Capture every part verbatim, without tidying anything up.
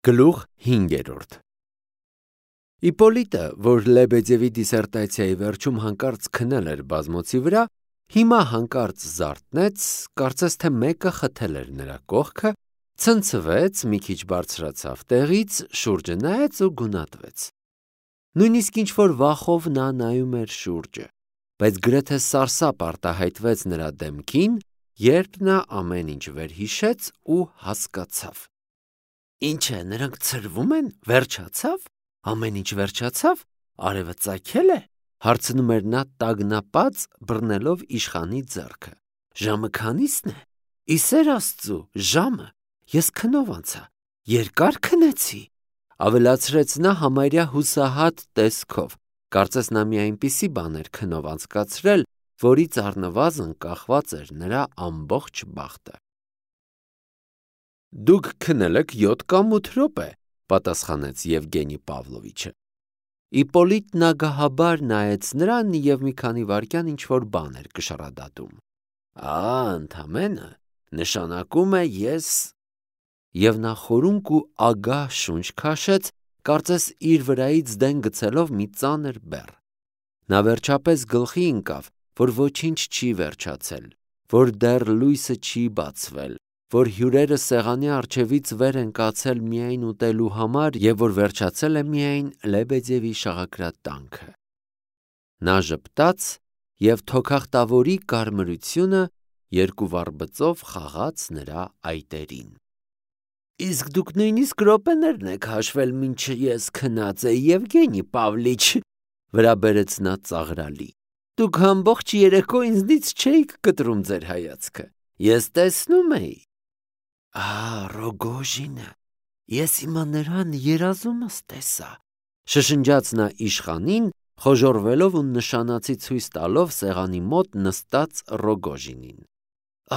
Գլուխ հինգերորդ Իպոլիտը, որ Լեբեդևի դիսերտացիայի վերջում հանկարծ քնել էր բազմոցի վրա, հիմա հանկարծ զարթնեց, կարծես թե մեկը խթել էր նրա կողքը, ցնցվեց, մի քիչ բարձրացավ տեղից, շուրջը նայեց ու գունատվեց։ Նույնիսկ ինչ-որ վախով նա նայում էր շուրջը, բայց գրեթե սարսափ արտահայտվեց նրա դեմքին, երբ նա ամեն ինչ վերհիշեց ու հասկացավ։ Ինչ է, նրանք ցրվում են, վերջացավ, ամեն ինչ վերջացավ, արևը ծագել է, հարցնում էր նա տագնապած, բռնելով իշխանի ձեռքը։ Ժամը քանի՞սն է, ի սեր Աստծու, ժամը, ես քնով անցա, երկար քնեցի, ավելացրեց նա համարյա հուսահատ տեսքով, կարծես նա մի այնպիսի բան էր քնով անցկացրել, որից առնվազն կախված էր նրա ամբողջ բախտը։ Դուք քնել եք յոթ կամ ութ րոպե, պատասխանեց Եվգենի Պավլովիչը։ Իպոլիտն ագահաբար նայեց նրան և մի քանի վայրկյան ինչ-որ բան էր կշռադատում։ Ա, ընդամենը, նշանակում է ես… Եվ նա խորունկ ու ագահ շունչ քաշեց, կարծես իր վրայից դեն գցելով մի ծանր բեռ։ Նա վերջապես գլխի ընկավ, որ ոչինչ չի վերջացել, որ դեռ լույսը չի բացվել, որ հյուրերը սեղանի առջևից վեր են կացել միայն ուտելու համար և որ վերջացել է միայն Լեբեդևի շաղակրատանքը։ Նա ժպտաց և թոքախտավորի կարմրությունը երկու վառբծով խաղաց նրա այտերին։ Իսկ դուք նույնիսկ րոպեներն եք հաշվել, մինչ ես քնած էի, Եվգենի Պավլիչ, վրա բերեց նա ծաղրալի։ Դուք ամբողջ երեկո ինձնից չէիք կտրում ձեր հայացքը, ես տեսնում էի։ Ա, Ռոգոժինը, ես հիմա նրան երազումս տեսա, շշնջաց նա իշխանին, խոժոռվելով ու նշանացի ցույց տալով սեղանի մոտ նստած Ռոգոժինին։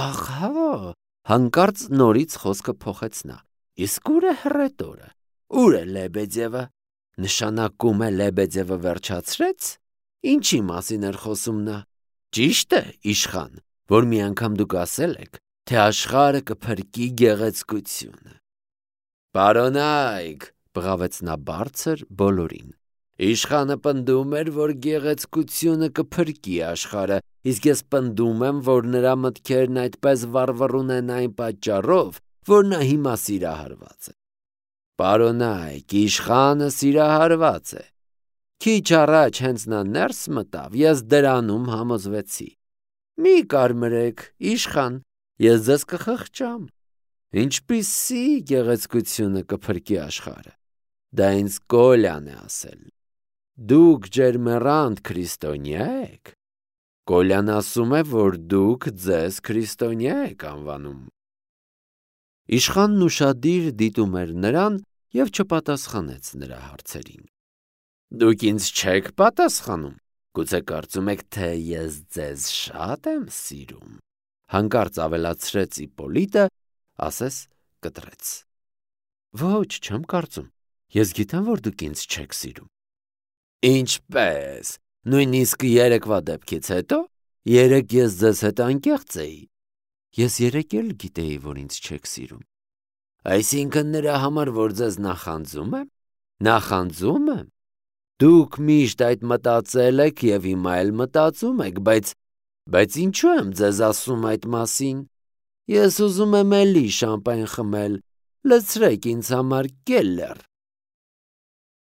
Ահա, հանկարծ նորից խոսքը փոխեց նա։ Իսկ ուր է հռետորը, ուր է Լեբեդևը, նշանակում է Լեբեդևը վերջացրեց, ինչի մասին էր խոսում նա։ Ճիշտ է, իշխան, որ մի անգամ դուք ասել եք, թե աշխարհը կփրկի գեղեցկությունը։ Պարոնայք, բղավեց նա բարձր բոլորին։ Իշխանը պնդում էր, որ գեղեցկությունը կփրկի աշխարհը, իսկ ես պնդում եմ, որ նրա մտքերն այդպես վառվռուն են այն պատճառով, որ նա հիմա սիրահարված է։ Պարոնայք, իշխանը սիրահարված է։ Քիչ առաջ հենց նա ներս մտավ, ես դրանում համոզվեցի։ Մի կարմրեք, իշխան, ես ձեզ կխղճամ։ Ինչպիսի գեղեցկությունը կփրկի աշխարհը։ Դա ինձ Կոլյան է ասել։ Դուք ջերմեռանդ քրիստոնյա եք։ Կոլյան ասում է, որ դուք ձեզ քրիստոնյա եք անվանում։ Իշխանն ուշադիր դիտում էր նրան և չպատասխանեց նրա հարցերին։ Դուք ինձ չեք պատասխանում, գուցե կարծում եք, թե ես ձեզ շատ եմ սիրում, հանկարծ ավելացրեց Իպոլիտը, ասես կտրեց։ Ոչ, չեմ կարծում, ես գիտեմ, որ դուք ինձ չեք սիրում։ Ինչպե՞ս, նույնիսկ երեկվա դեպքից հետո, երեկ ես ձեզ հետ անկեղծ էի։ Ես երեկ էլ գիտեի, որ ինձ չեք սիրում։ Այսինքն նրա համար, որ ձեզ նախանձում եմ, նախանձում եմ։ Դուք միշտ այդ մտածել եք և հիմա էլ մտածում եք, բայց, բայց ինչու եմ ձեզ ասում այդ մասին։ Ես ուզում եմ էլի շամպայն խմել, լցրեք ինձ համար կելլեր։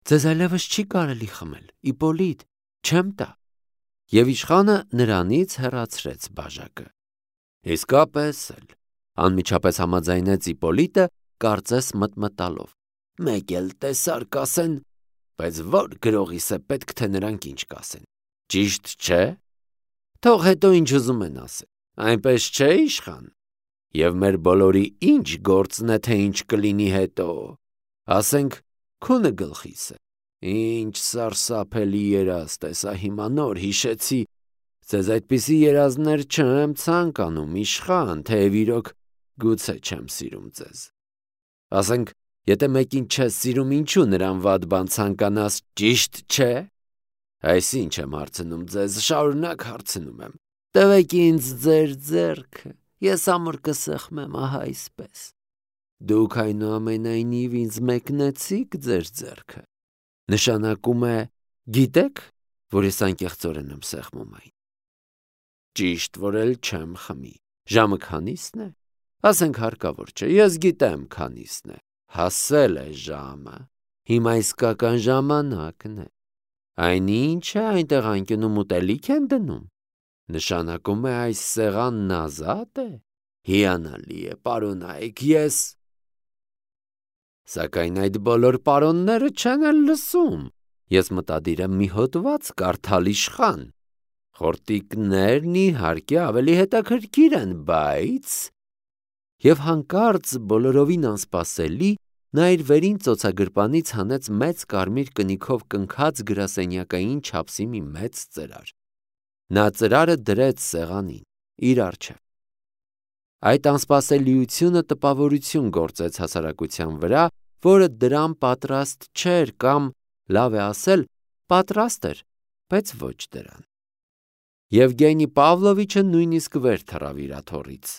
Ձեզ այլևս չի կարելի խմել, Իպոլիտ, չեմ տա։ Եվ իշխանը նրանից հեռացրեց բաժակը։ Իսկապես էլ, անմիջապես համաձայնեց Իպոլիտը, կարծես մտմտալով։ Մեկ էլ տեսար կասեն, բայց որ գրողիս է պետք, թե նրանք ինչ կասեն։ Ճիշտ չէ։ Թող հետո ինչ ուզում են ասել, այնպես չէ, իշխան։ Եվ մեր բոլորի ինչ գործն է, թե ինչ կլինի հետո։ Ասենք, քունը գլխիս է։ Ինչ սարսափելի երազ տեսա հիմա նոր հիշեցի։ Ձեզ այդպիսի երազներ չեմ ցանկանում, իշխան, թեև իրոք գուցե չեմ սիրում ձեզ։ Ասենք, եթե մեկին չես սիրում, ինչու նրան վատ բան ցանկանաս, ճիշտ չէ։ Այսինչ եմ հարցնում ձեզ, շարունակ հարցնում եմ։ Տվեք ինձ ձեր ձեռքը, ես ամուր կսեղմեմ, ահա այսպես։ Դուք այնուամենայնիվ ինձ մեկնեցիք ձեր ձեռքը։ Նշանակում է, գիտեք, որ ես անկեղծորեն եմ սեղմում այն։ Ճիշտ որ էլ չեմ խմի։ Ժամը քանիսն է։ Ասենք հարկավոր չէ, ես գիտեմ քանիսն է։ Հասել է ժամը։ Հիմա իսկական ժամանակն է։ Այնինչ է այնտեղ անկյունում ուտելիք են դնում։ Նշանակում է այս սեղանն ազատ է։ Հիանալի է, պարոնայք, ես… Սակայն այդ բոլոր պարոնները չեն էլ լսում։ Ես մտադիր եմ մի հոդված կարդալ իշխան։ Խորտիկներն իհարկե ավելի հետաքրքիր են, բայց… Եվ հանկարծ բոլորովին անսպասելի նա իր վերին ծոցագրպանից հանեց մեծ կարմիր կնիքով կնքած գրասենյակային չափսի մի մեծ ծրար։ Նա ծրարը դրեց սեղանին, իր առջև։ Այդ անսպասելիությունը տպավորություն գործեց հասարակության վրա, որը դրան պատրաստ չէր կամ, լավ է ասել, պատրաստ էր, բայց ոչ դրան։ Եվգենի Պավլովիչը նույնիսկ վեր թռավ իր աթոռից։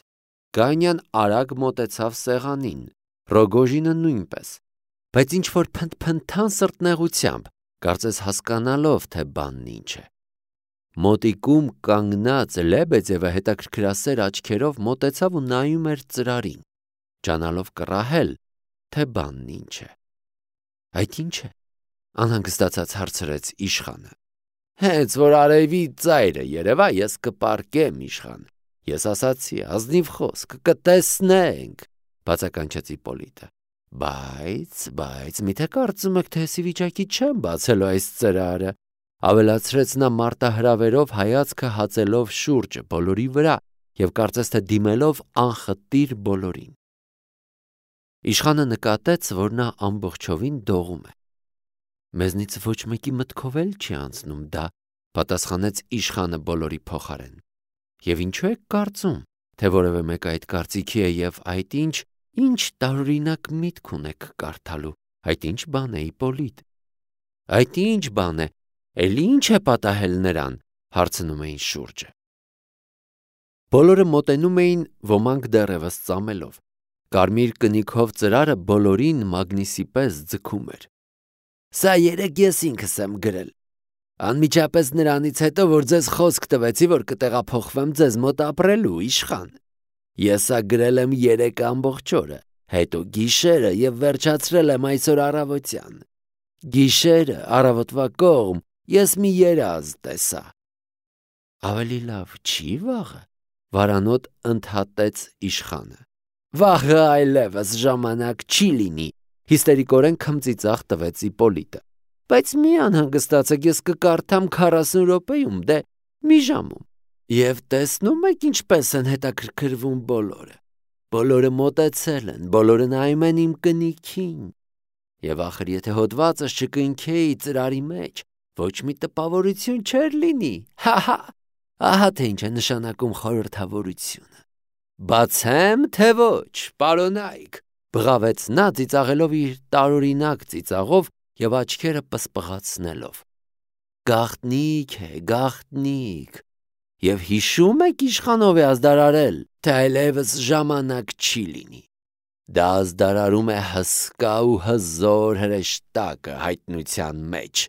Գանյան արագ մոտեցավ սեղանին, Ռոգոժինը նույնպես, բայց ինչ-որ փնթփնթան սրտնեղությամբ, կարծես հասկանալով, թե բանն ինչ է։ Մոտիկում կանգնած Լեբեդևը հետաքրքրասեր աչքերով մոտեցավ ու նայում էր ծրարին, ջանալով կռահել, թե բանն ինչ է։ Այդ ինչ է, անհանգստացած հարցրեց իշխանը։ Հենց որ արևի ծայրը երևա, ես կպարկեմ իշխան։ Ես ասացի, ազնիվ խոսք, կտեսնենք, բացականչեց Իպոլիտը։ Բայց, բայց, միթե կարծում եք, թե ես ի վիճակի չեմ բացելու այս ծրարը, ավելացրեց նա մարտահրավերով հայացքը հացելով շուրջը բոլորի վրա և կարծես թե դիմելով անխտիր բոլորին։ Իշխանը նկատեց, որ նա ամբողջովին դողում է։ Մեզնից ոչ մեկի մտքով էլ չի անցնում դա, պատասխանեց իշխանը բոլորի փոխարեն։ Եվ ինչու եք կարծում, թե որևէ մեկը այդ կարծիքի է և այդ ինչ, ինչ տարօրինակ միտք ունեք կարդալու, այդ ինչ բան է, Իպոլիտ։ Այդ ինչ բան է, էլի ինչ է պատահել նրան, հարցնում էին շուրջը։ Բոլորը մոտենում էին, ոմանք դեռևս ծամելով։ Կարմիր կնիքով ծրարը բոլորին մագնիսի պես ձգում էր։ Սա երեկ ես ինքս եմ գրել։ Անմիջապես նրանից հետո, որ ձեզ խոսք տվեցի, որ կտեղափոխվեմ ձեզ մոտ ապրելու, իշխան։ Ես սա գրել եմ երեկ ամբողջ օրը, հետո գիշերը և վերջացրել եմ այսօր առավոտյան։ Գիշերը, առավոտվա կողմ, ես մի երազ տեսա։ Ավելի լավ չի վաղը, վարանոտ ընդհատեց իշխանը։ Վաղը այլևս ժամանակ չի լինի, հիստերիկորեն քմծիծաղ տվեց Իպոլիտը։ Բայց մի անհանգստացեք, ես կկարդամ քառասուն րոպեում, դե մի ժամում։ Եվ տեսնում եք ինչպես են հետաքրքրվում բոլորը։ Բոլորը մոտեցել են, բոլորը նայում են իմ կնիքին։ Եվ ախր եթե հոդվածս չկնքեի ծրարի մեջ, ոչ մի տպավորություն չէր լինի։ Հա՛֊հա՛, ահա թե ինչ է նշանակում խորհրդավորությունը։ Բացեմ, թե ոչ, պարոնայք, բղավեց նա ծիծաղելով իր տարօրինակ ծիծաղով և աչքերը պսպղացնելով։ Գաղտնիք է, գաղտնիք։ Եվ հիշում եք իշխանով է ազդարարել, թե այլևս ժամանակ չի լինի։ Դա ազդարարում է հսկա ու հզոր հրեշտակը հայտնության մեջ։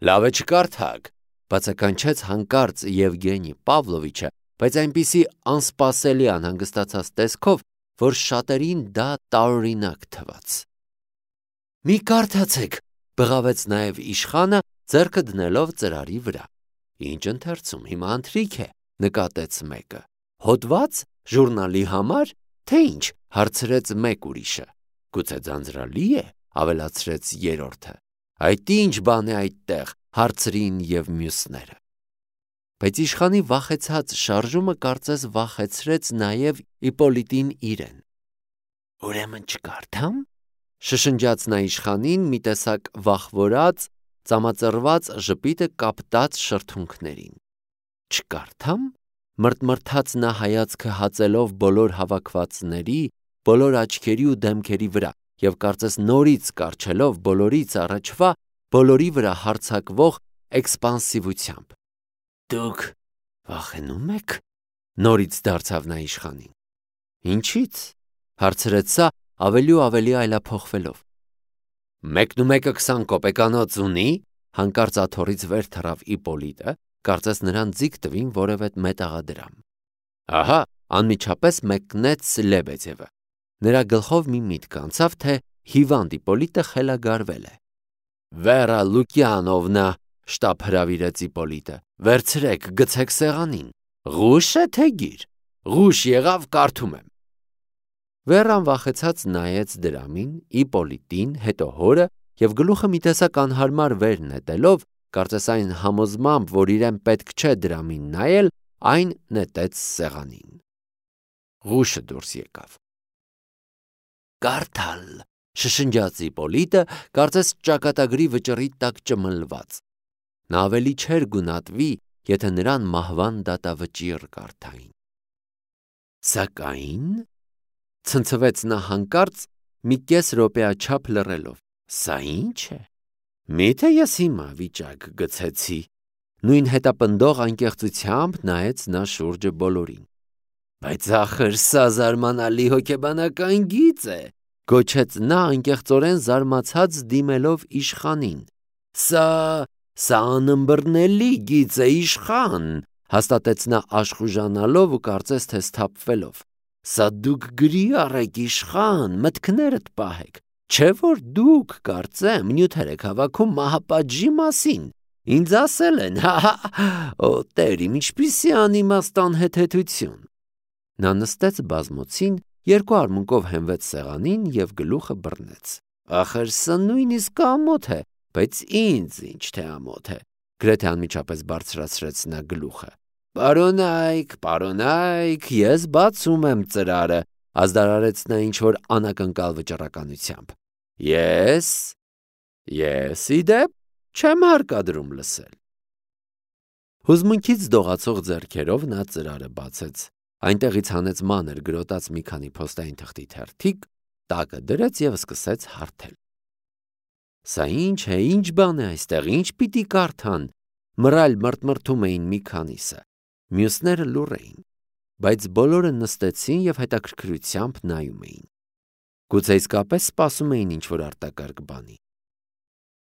Լավ է չկարդաք, բացականչեց հանկարծ Եվգենի Պավլովիչը, բայց այնպիսի անսպասելի անհանգստացած տեսքով, որ շատերին դա տարօրինակ թվաց։ Մի կարդացեք, բղավեց նաև իշխանը, ձեռքը դնելով ծրարի վրա։ Ինչ ընթերցում, հիմա ընթրիք է, նկատեց մեկը։ Հոդված, ժուրնալի համար, թե ինչ, հարցրեց մեկ ուրիշը։ Գուցե ձանձրալի է, ավելացրեց երրորդը։ Այդ ինչ բան է այդտեղ, հարցրին և մյուսները։ Բայց իշխանի վախեցած շարժումը կարծես վախեցրեց նաև Իպոլիտին իրեն։ Ուրեմն չկարդամ, շշնջաց նա իշխանին մի տեսակ վախվորած, ծամածռված ժպիտը կապտած շրթունքներին։ Չկարդամ, մրթմրթաց նա հայացքը հացելով բոլոր հավաքվածների, բոլոր աչքերի ու դեմքերի վրա և կարծես նորից կառչելով բոլորից առաջվա, բոլորի վրա հարձակվող էքսպանսիվությամբ։ Դուք վախենու՞մ եք, նորից դարձավ նա իշխանին։ Ինչի՞ց, հարցրեց սա ավելի ու ավելի այլափոխվելով։ Մեկն ու մեկը քսան կոպեկանոց ունի, հանկարծ աթոռից վեր թռավ Իպոլիտը, կարծես նրան ձիգ տվին որևէ մետաղադրամ։ Ահա, անմիջապես մեկնեց Լեբեդևը։ Նրա գլխով մի միտք անցավ, թե հիվանդ Իպոլիտը խելագարվել է։ Վերա Լուկիանովնա, շտապ հրավիրեց Իպոլիտը, վերցրեք, գցեք սեղանին։ Ղուշ է թե գիր։ Ղուշ եղավ, կարդում եմ։ Վերան վախեցած նայեց դրամին, Իպոլիտին, հետո հորը և գլուխը մի տեսակ անհարմար վեր նետելով, կարծես այն համոզմամբ, որ իրեն պետք չէ դրամին նայել, այն նետեց սեղանին։ Ղուշը դուրս եկավ։ Կարդալ, շշնջաց Իպոլիտը, կարծես ճակատագրի վճռի տակ ճմլված։ Նա ավելի չէր գունատվի, եթե նրան մահվան դատավճիռ կարդային։ Սակայն, ցնցվեց նա հանկարծ, մի կես րոպեաչափ լռելով, սա ինչ է։ Միթե ես հիմա վիճակ գցեցի։ Նույն հետապնդող անկեղծությամբ նայեց նա շուրջը բոլորին։ Բայց ախր սա զարմանալի հոգեբանական գիծ է, գոչեց նա անկեղծորեն զարմացած դիմելով իշխանին։ Սա, սա անըմբռնելի գիծ է, իշխան, հաստատեց նա աշխուժանալով ու կարծես թե սթափվելով։ Սա դուք գրի առեք, իշխան, մտքներդ պահեք, չէ որ դուք, կարծեմ, նյութեր եք հավաքում մահապատժի մասին։ Ինձ ասել են, հա, օ տեր իմ, ինչպիսի անիմաստան հետեթություն։ Նա նստեց բազմոցին, երկու արմունկով հենվեց սեղանին և գլուխը բռնեց։ Ախր սա նույնիսկ ամոթ է, բայց ինձ ինչ թե ամոթ է, գրեթե անմիջապես բարձրացրեց նա գլուխը։ Պարոնայք, պարոնայք, ես բացում եմ ծրարը, ազդարարեց նա ինչ-որ անակնկալ վճռականությամբ։ Ես, ես իդեպ չեմ հարկադրում լսել։ Հուզմունքից դողացող ձեռքերով նա ծրարը բացեց, այնտեղից հանեց մանր գրոտած մի քանի փոստային թղթի թերթիկ, տակը դրեց և սկսեց հարթել։ Սա ինչ է, ինչ բան է այստեղ, ինչ պիտի կարդան, մռայլ մրթմրթում էին մի քանիսը, մյուսները լուռ էին, բայց բոլորը նստեցին և հետաքրքրությամբ նայում էին։ Գուցե իսկապես սպասում էին ինչ-որ արտակարգ բանի։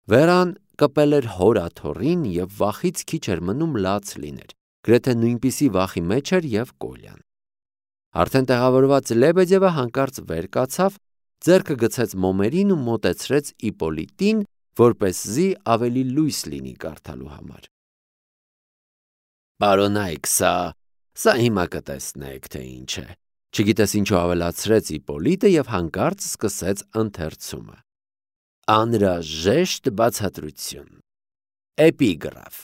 Վերան կպել էր հոր աթոռին և վախից քիչ էր մնում լաց լիներ, գրեթե նույնպիսի վախի մեջ էր և Կոլյան։ Արդեն տեղավորված Լեբեդևը հանկարծ վեր կացավ, ձեռքը գցեց մոմերին ու մոտեցրեց Իպոլիտին, որպեսզի ավելի լույս լինի կարդալու համար։ Պարոնայք, սա, սա հիմա կտեսնեք, թե ինչ է, չգիտես ինչու ավելացրեց Իպոլիտը և հանկարծ սկսեց ընթերցումը։ Անհրաժեշտ բացատրություն։ Էպիգրաֆ։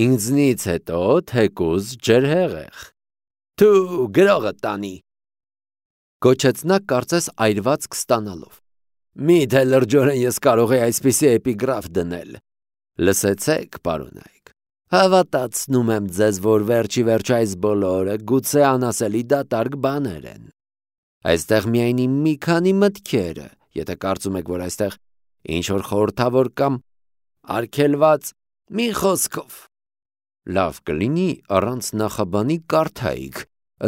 Ինձնից հետո թեկուզ ջրհեղեղ։ Թու գրողը տանի։ Գոչեց նա կարծես այրվածք ստանալով։ Միթե լրջորեն ես կարող եի այսպիսի էպիգրաֆ դնել։ Լսեցեք, պարոնայք, հավատացնում եմ ձեզ, որ վերջի վերջ այս բոլորը գուցե անասելի դատարկ բաներ են։ Այստեղ միայն իմ մի քանի մտքերը, եթե կարծում եք, որ այստեղ ինչ-որ խորհրդավոր կամ արգելված, մի խոսքով։ Լավ կլինի առանց նախաբանի կարդայիք,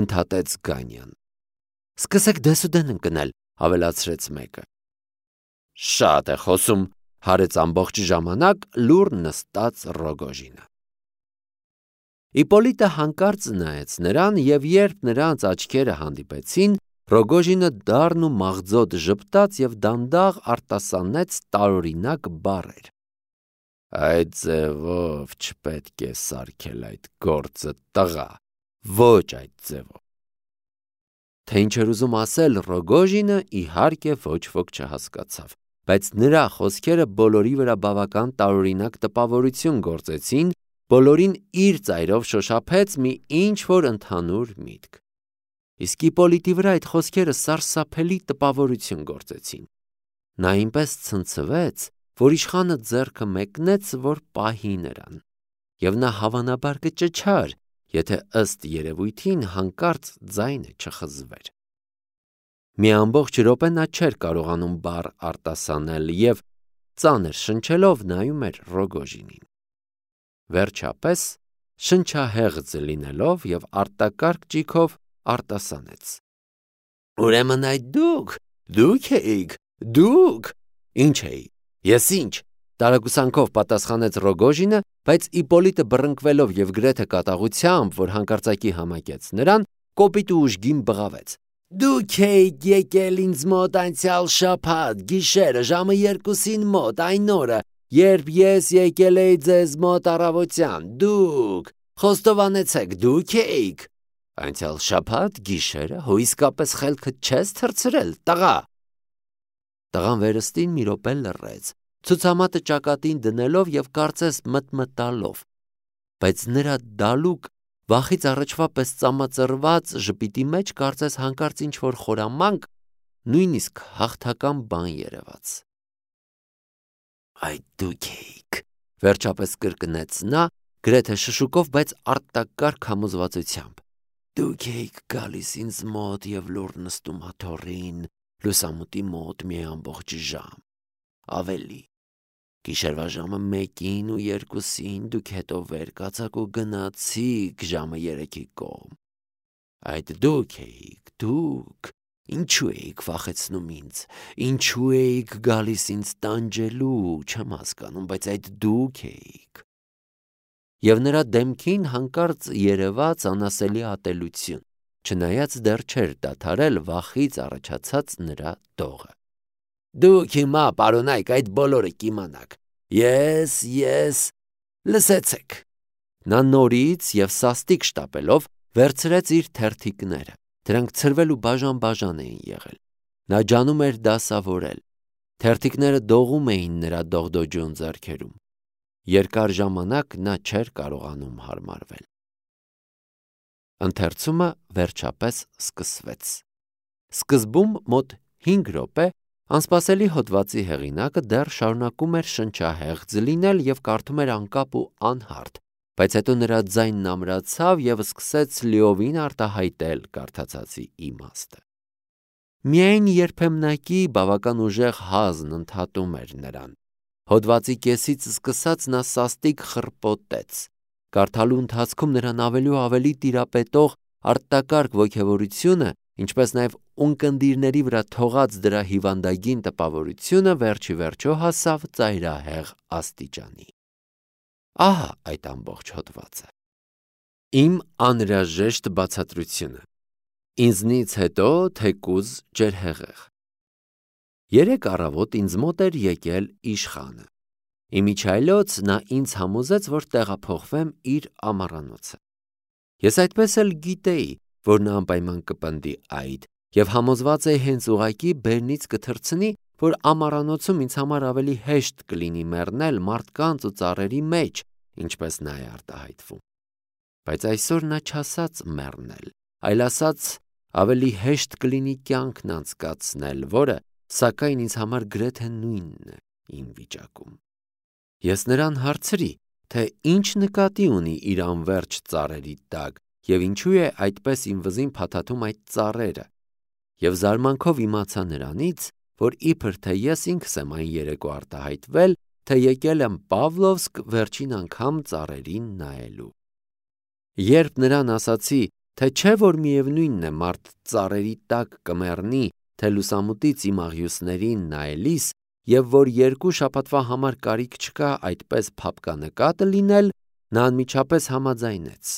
ընդհատեց Գանյան։ Սկսեք դեսուդեն ընկնել, ավելացրեց մեկը։ Շատ է խոսում, հարեց ամբողջ ժամանակ լուռ նստած Ռոգոժինը։ Իպոլիտը հանկարծ նայեց նրան և երբ նրանց աչքերը հանդիպեցին, Ռոգոժինը դառն ու մաղձոտ ժպտաց և դանդաղ արտասանեց տարօրինակ բառեր։ Այդ ձևով չպետք է սարքել այդ գործը, տղա, ոչ այդ ձևով։ Թե ինչ էր ուզում ասել Ռոգոժինը, իհարկե ոչ ոք չհասկացավ, բայց նրա խոսքերը բոլորի վրա բավական տարօրինակ տպավորություն գործեցին, բոլորին իր ծայրով շոշափեց մի ինչ-որ ընդհանուր միտք։ Իսկ Իպոլիտի վրա այդ խոսքերը սարսափելի տպավորություն գործեցին։ Նա այնպես ցնցվեց, որ իշխանը ձեռքը մեկնեց, որ պահի նրան, և նա հավանաբար կճչար, եթե ըստ երևույթին հանկարծ ձայնը չխզվեր։ Մի ամբողջ րոպե նա չէր կարողանում բառ արտասանել և ծանր շնչելով նայում էր Ռոգոժինին։ Վերջապես, շնչահեղձ լինելով և արտակարգ ճիգով արտասանեց. Ուրեմն այդ դուք, Դուք էիք, դուք։ Ինչ էի։ Ես ինչ։ Տարակուսանքով պատասխանեց Ռոգոժինը, բայց Իպոլիտը բռնկվելով եւ գրեթե կատաղությամբ, որ հանկարծակի համակեց նրան, կոպիտ ու ուժգին բղավեց. Դուք եք եկել ինձ մոտ անցյալ շաբաթ գիշերը ժամը երկուսին մոտ այն օրը, երբ ես եկել էի ձեզ մոտ առավոտյան, դուք խոստովանեցեք, դուք եք։ Անցյալ շաբաթ գիշերը հո իսկապես խելքդ չես թռցրել, տղա։ Տղան վերստին մի րոպե լռեց, ցուցամատը ճակատին դնելով եւ կարծես մտմտալով, բայց նրա դալուկ վախից առաջվա պես ծամածրված ժպիտի մեջ կարծես հանկարծ ինչ-որ խորամանկ, նույնիսկ հաղթական բան երևաց։ Այդ դուք եք, վերջապես կրկնեց նա, գրեթե շշուկով, բայց արտակարգ համոզվածությամբ։ Դուք եք գալիս ինձ մոտ եւ լուր նստում աթոռին, լուսամուտի մոտ մի ամբողջ ժամ, ավելի։ Գիշերվա ժամը մեկին ու երկուսին դուք հետո վեր կացաք ու գնացիք ժամը երեքի կողմ։ Այդ դուք էիք, դուք, ինչու էիք վախեցնում ինձ, ինչու էիք գալիս ինձ տանջելու, չեմ հասկանում, բայց այդ դուք էիք։ Եվ նրա դեմքին հանկարծ երևաց անասելի ատելություն, չնայած դեռ չէր դադարել վախից առաջացած նրա դողը։ Դուք հիմա, պարոնայք, այդ բոլորը կիմանաք։ Ես, ես, լսեցեք։ Նա նորից եւ սաստիկ շտապելով վերցրեց իր թերթիկները։ Դրանք ցրվել ու բաժան-բաժան էին եղել։ Նա ջանում էր դասավորել։ Թերթիկները դողում էին նրա դողդոջուն ձեռքերում։ Երկար ժամանակ նա չէր կարողանում հարմարվել։ Ընթերցումը վերջապես սկսվեց։ Սկզբում մոտ հինգ րոպե անսպասելի հոդվածի հեղինակը դեռ շարունակում էր շնչահեղձ լինել եւ կարդում էր անկապ ու անհարթ, բայց հետո նրա ձայնն ամրացավ եւ սկսեց լիովին արտահայտել կարդացածի իմաստը։ Միայն երբեմնակի բավական ուժեղ հազն ընդհատում էր նրան։ Հոդվածի կեսից սկսած նա սաստիկ խռպոտեց։ Կարդալու ընթացքում նրան ավելի ու ավելի տիրապետող արտակարգ ոգևորությունը, ինչպես նաև ունկնդիրների վրա թողած դրա հիվանդագին տպավորությունը վերջի վերջո հասավ ծայրահեղ աստիճանի։ Ահա այդ ամբողջ հոդվածը։ Իմ անհրաժեշտ բացատրությունը։ Ինձնից հետո թեկուզ ջերհեղեղ։ Երեք առավոտ ինձ մոտ էր եկել իշխանը։ Իմիջայլոց նա ինձ համոզեց, որ տեղափոխվեմ իր ամառանոցը։ Ես այդպես էլ գիտեի, որ նա անպայման կպնդի այդ, եւ համոզված էի հենց ուղակի բերնից կթռցնի, որ ամառանոցում ինձ համար ավելի հեշտ կլինի մեռնել մարդկանց ու ծառերի մեջ, ինչպես նա է արտահայտվում։ Բայց այսօր նա չասաց մեռնել, այլ ասաց ավելի հեշտ կլինի կյանքն անցկացնել, որը սակայն ինձ համար գրեթե նույնն է իմ վիճակում։ Ես նրան հարցրի, թե ինչ նկատի ունի իր անվերջ ծառերի տակ եւ ինչու է այդպես իմ վզին փաթաթում այդ ծառերը, եւ զարմանքով իմացա նրանից, որ իբր թե ես ինքս եմ այն երեկո արտահայտվել, թե եկել եմ Պավլովսկ վերջին անգամ ծառերին նայելու։ Երբ նրան ասացի, թե չէ որ միևնույնն է մարդ ծառերի տակ կմեռնի, թե լուսամուտից իմ աղյուսներին նայելիս, եւ որ երկու շաբաթվա համար կարիք չկա այդպես փափկանկատը լինել, նա անմիջապես համաձայնեց։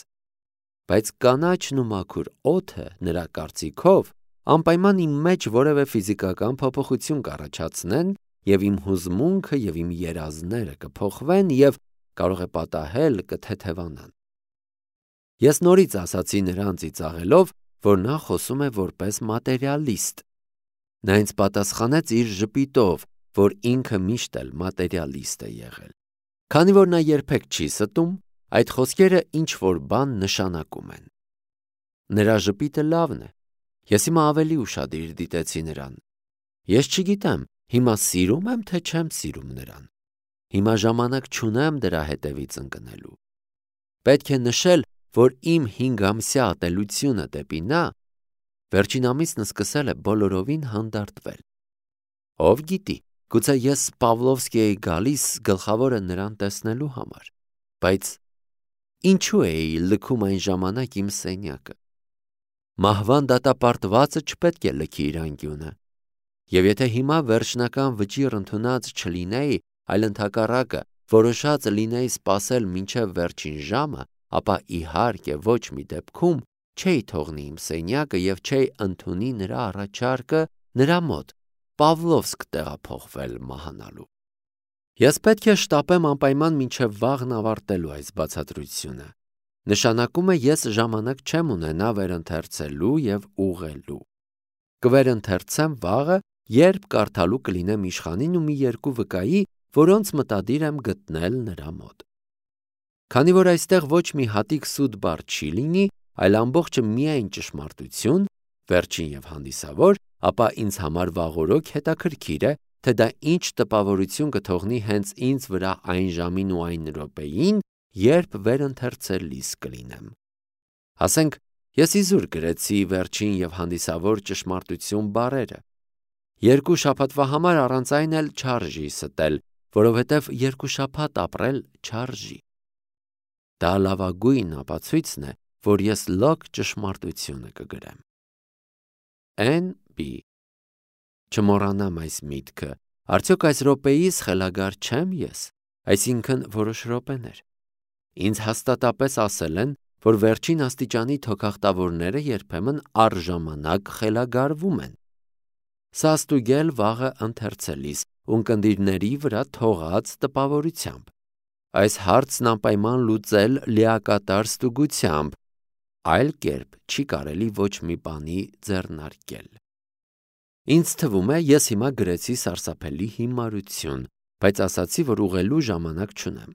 Բայց կանաչն ու մաքուր օդը նրա կարծիքով անպայման իմ մեջ որևէ ֆիզիկական փոփոխություն կառաջացնեն եւ իմ հուզմունքը եւ իմ երազները կփոխվեն եւ կարող է պատահել կթեթևանան։ Ես նորից ասացի նրան ծիծաղելով, որ նա խոսում է որպես մատերիալիստ։ Նա ինձ պատասխանեց իր ժպիտով, որ ինքը միշտ էլ մատերիալիստ է եղել։ Քանի որ նա երբեք չի ստում, այդ խոսքերը ինչ որ բան նշանակում են։ Նրա ժպիտը լավն է։ Ես հիմա ավելի ուշադիր դիտեցի նրան։ Ես չգիտեմ, հիմա սիրում եմ, թե չեմ սիրում նրան։ Հիմա ժամանակ չունեմ դրա հետևից ընկնելու։ Պետք է նշել, որ իմ հինգամսյա ատելությունը դեպի նա վերջին ամիսն սկսել է բոլորովին հանդարտվել։ Ով գիտի, գուցե ես Պավլովսկի էի գալիս գլխավորը նրան տեսնելու համար, բայց ինչու էի լքում այն ժամանակ իմ սենյակը։ Մահվան դատապարտվածը չպետք է լքի իր անկյունը։ Եվ եթե հիմա վերջնական վճիռ ընդունած չլինեի, այլ ընդհակառակը որոշած լինեի սպասել մինչև վերջին ժամը, ապա իհարկե ոչ մի դեպքում չէի թողնի իմ սենյակը և չէի ընդունի նրա առաջարկը նրա մոտ Պավլովսկ տեղափոխվել մահանալու։ Ես պետք է շտապեմ անպայման մինչև վաղն ավարտելու այս բացատրությունը։ Նշանակում է ես ժամանակ չեմ ունենա վերընթերցելու և ուղղելու։ Կվերընթերցեմ վաղը, երբ կարդալու կլինեմ իշխանին ու մի երկու վկայի, որոնց մտադիր եմ գտնել նրա մոտ։ Քանի որ այստեղ ոչ մի հատիկ սուտ բառ չի լինի, այլ ամբողջը միայն ճշմարտություն, վերջին և հանդիսավոր, ապա ինձ համար վաղօրոք հետաքրքիր է, թե դա ինչ տպավորություն կթողնի հենց ինձ վրա այն ժամին ու այն րոպեին, երբ վերընթերցելիս կլինեմ։ Ասենք, ես իզուր գրեցի վերջին և հանդիսավոր ճշմարտություն բառերը։ Երկու շաբաթվա համար առանց այն էլ չարժի ստել, որովհետև երկու շաբաթ ապրել չարժի։ Դա լավագույն ապացույցն է, որ ես լոկ ճշմարտությունը կգրեմ։ Էն Բի Չմոռանամ այս միտքը, արդյոք այս րոպեիս խելագար չեմ ես, այսինքն որոշ րոպեներ։ Ինձ հաստատապես ասել են, որ վերջին աստիճանի թոքախտավորները երբեմն առժամանակ խելագարվում են։ Սա ստուգել վաղը ընթերցելիս ունկնդիրների վրա թողած տպավորությամբ։ Այս հարցն անպայման լուծել լիակատար ստուգությամբ, այլ կերպ չի կարելի ոչ մի բանի ձեռնարկել։ Ինձ թվում է, ես հիմա գրեցի սարսափելի հիմարություն, բայց ասացի, որ ուղղելու ժամանակ չունեմ։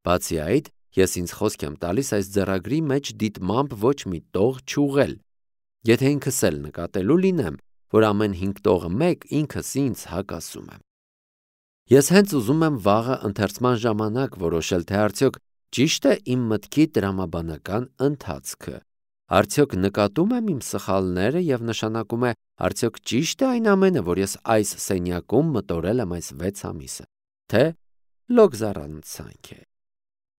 Բացի այդ, ես ինձ խոսք եմ տալիս այս ձեռագրի մեջ դիտմամբ ոչ մի տող չուղղել։ Եթե ինքս էլ նկատելու լինեմ, որ ամեն հինգ տողը մեկ, ինքս ինձ հակասում եմ։ Ես հենց ուզում եմ վաղը ընթերցման ժամանակ որոշել, թե արդյոք ճիշտ է իմ մտքի տրամաբանական ընթացքը, արդյոք նկատում եմ իմ սխալները և նշանակում է, արդյոք ճիշտ է այն ամենը, որ ես այս սենյակում մտորել եմ այս վեց ամիսը, թե լոգ զառանցանք է։